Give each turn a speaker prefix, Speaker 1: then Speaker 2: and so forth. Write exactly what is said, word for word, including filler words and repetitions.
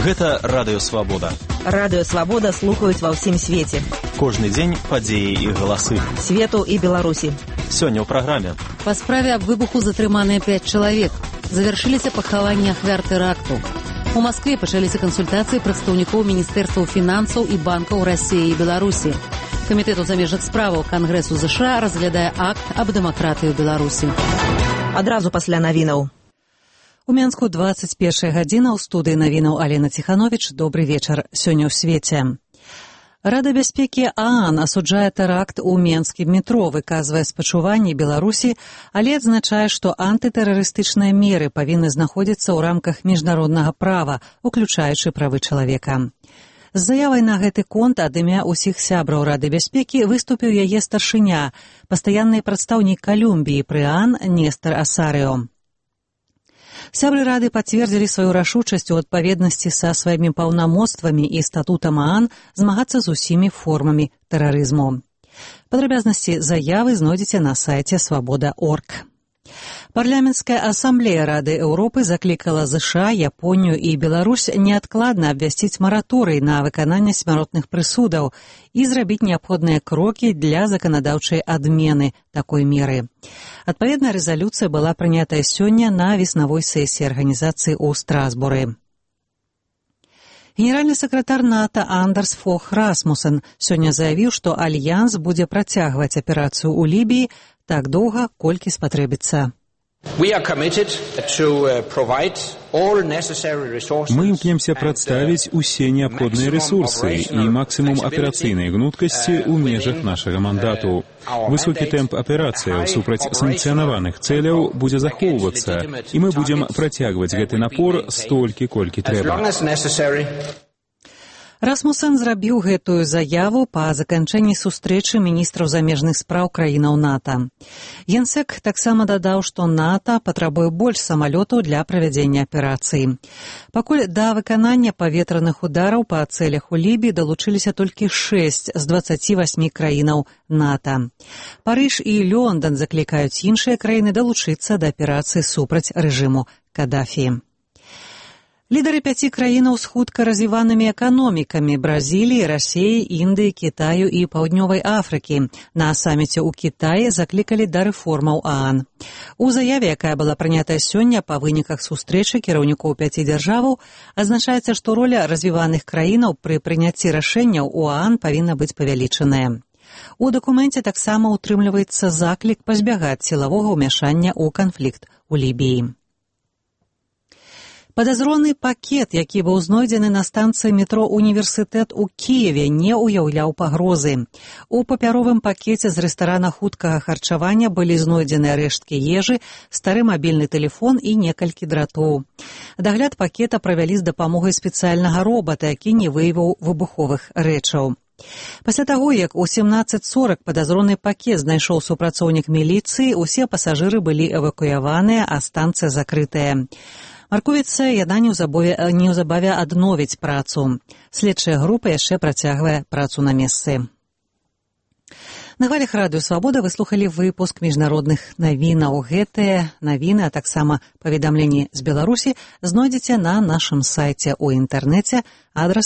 Speaker 1: Гэта Радыё Свабода.
Speaker 2: Радыё Свабода слухаюць ва ўсім свеце.
Speaker 1: Кожны дзень падзеі і галасы.
Speaker 2: Свету і Беларусі.
Speaker 1: Сёння ў праграме.
Speaker 3: Па справе аб выбуху затрыманыя пяць чалавек. Завяршыліся пахаванні ахвяр тэракту. У Маскве пачаліся кансультацыі прадстаўнікоў міністэрстваў фінансаў і банкаў Расіі і Беларусі. Камітэт у замежных справаў Кангрэсу ЗША разглядае акт аб дэмакратыі ў Беларусі.
Speaker 2: Адразу пасля навінаў.
Speaker 3: У Менску дваццаць першая гадзіна, ў студыі навінаў Алена Ціхановіч. Добры вечар. Сёння ў свеце. Рада бяспекі ААН асуджае тэракт у менскім метро, выказвае спачуванні Беларусі, але адзначае, што антытэрарыстычныя меры павінны знаходзіцца ў рамках міжнароднага права, уключаючы правы чалавека. З заявай на гэты конт ад імя ўсіх сябраў Рады бяспекі выступіў яе старшыня, пастаянны прадстаўнік Калумбіі пры ААН Нестар Асарыо. Сябры Рады пацвердзілі сваю рашучасць у адпаведнасці са сваімі паўнамоцтвамі і статутам ААН змагацца з усімі формамі тэрарызму. Падрабязнасці заявы знойдзеце на сайце свабода точка орг. Парламенцкая асамблея Рады Еўропы заклікала ЗША, Японію і Беларусь неадкладна абвясціць мараторый на выкананне смяротных прысудаў і зрабіць неабходныя крокі для заканадаўчай адмены такой меры. Адпаведная рэзалюцыя была прынятая сёння на веснавой сесіі арганізацыі ў Страсбуры. Генеральны сакратар НАТО Андерс Фог Расмусен сёння заявіў, што Альянс будзе працягваць аперацыю ў Лібіі так доўга, колькі спатрэбіцца.
Speaker 4: Мы
Speaker 5: імкнемся прадставіць усе неабходныя рэсурсы і максімум аперацыйнай гнуткасці ў межах нашага мандату. Высокі тэмп аперацыяў супраць санкцыянаваных цэляў будзе захоўвацца, і мы будзем працягваць гэты напор столькі, колькі трэба.
Speaker 3: Расмусен зрабіў гэтую заяву па заканчэнні сустрэчы міністраў замежных спраў краінаў НАТО. Генсек таксама дадаў, што НАТО патрабуе больш самалётаў для правядзення аперацыі. Пакуль да выканання паветраных удараў па цэлях у Лібіі далучыліся толькі шэсць з дваццаці васьмі краінаў НАТО. Парыж і Лондон заклікаюць іншыя краіны далучыцца да аперацыі супраць рэжыму Кадафі. Лідары пяці краінаў з хутка развіванымі эканомікамі Бразіліі, Расіі, Індыі, Кітаю і Паўднёвай Афрыкі на саміце ў Кітаі заклікалі да рэформаў ААН. У заяве, якая была прынятая сёння па выніках сустрэчы кіраўнікоў пяці дзяржаваў, адзначаецца, што роля развіваных краінаў пры прыняцці рашэнняў у ААН павінна быць павялічаная. У дакуменце таксама ўтрымліваецца заклік пазбягаць сілавога ўмяшання ў канфлікт у Лібіі. Падазроны пакет, які быў знойдзены на станцыі метро «Універсітэт» у Кіеве, не ўяўляў пагрозы. У папяровым пакеце з рэстарана хуткага харчавання былі знойдзены рэшткі ежы, стары мабільны тэлефон і некалькі дратоў. Дагляд пакета правялі з дапамогай спецыяльнага робата, які не выявіў выбуховых рэчаў. Пасля таго, як у сямнаццаць сорак падазроны пакет знайшоў супрацоўнік міліцыі, усе пасажыры былі эвакуяваныя, а станцыя закрытая. Маркуецца, яна неўзабаве адновіць працу. Следчая група яшчэ працягвае працу на месцы. На хвалях Радыё Свабода вы слухалі выпуск міжнародных навінаў. Гэтыя навіны, а таксама паведамленні з Беларусі знойдзеце на нашым сайце ў інтэрнэце, адрас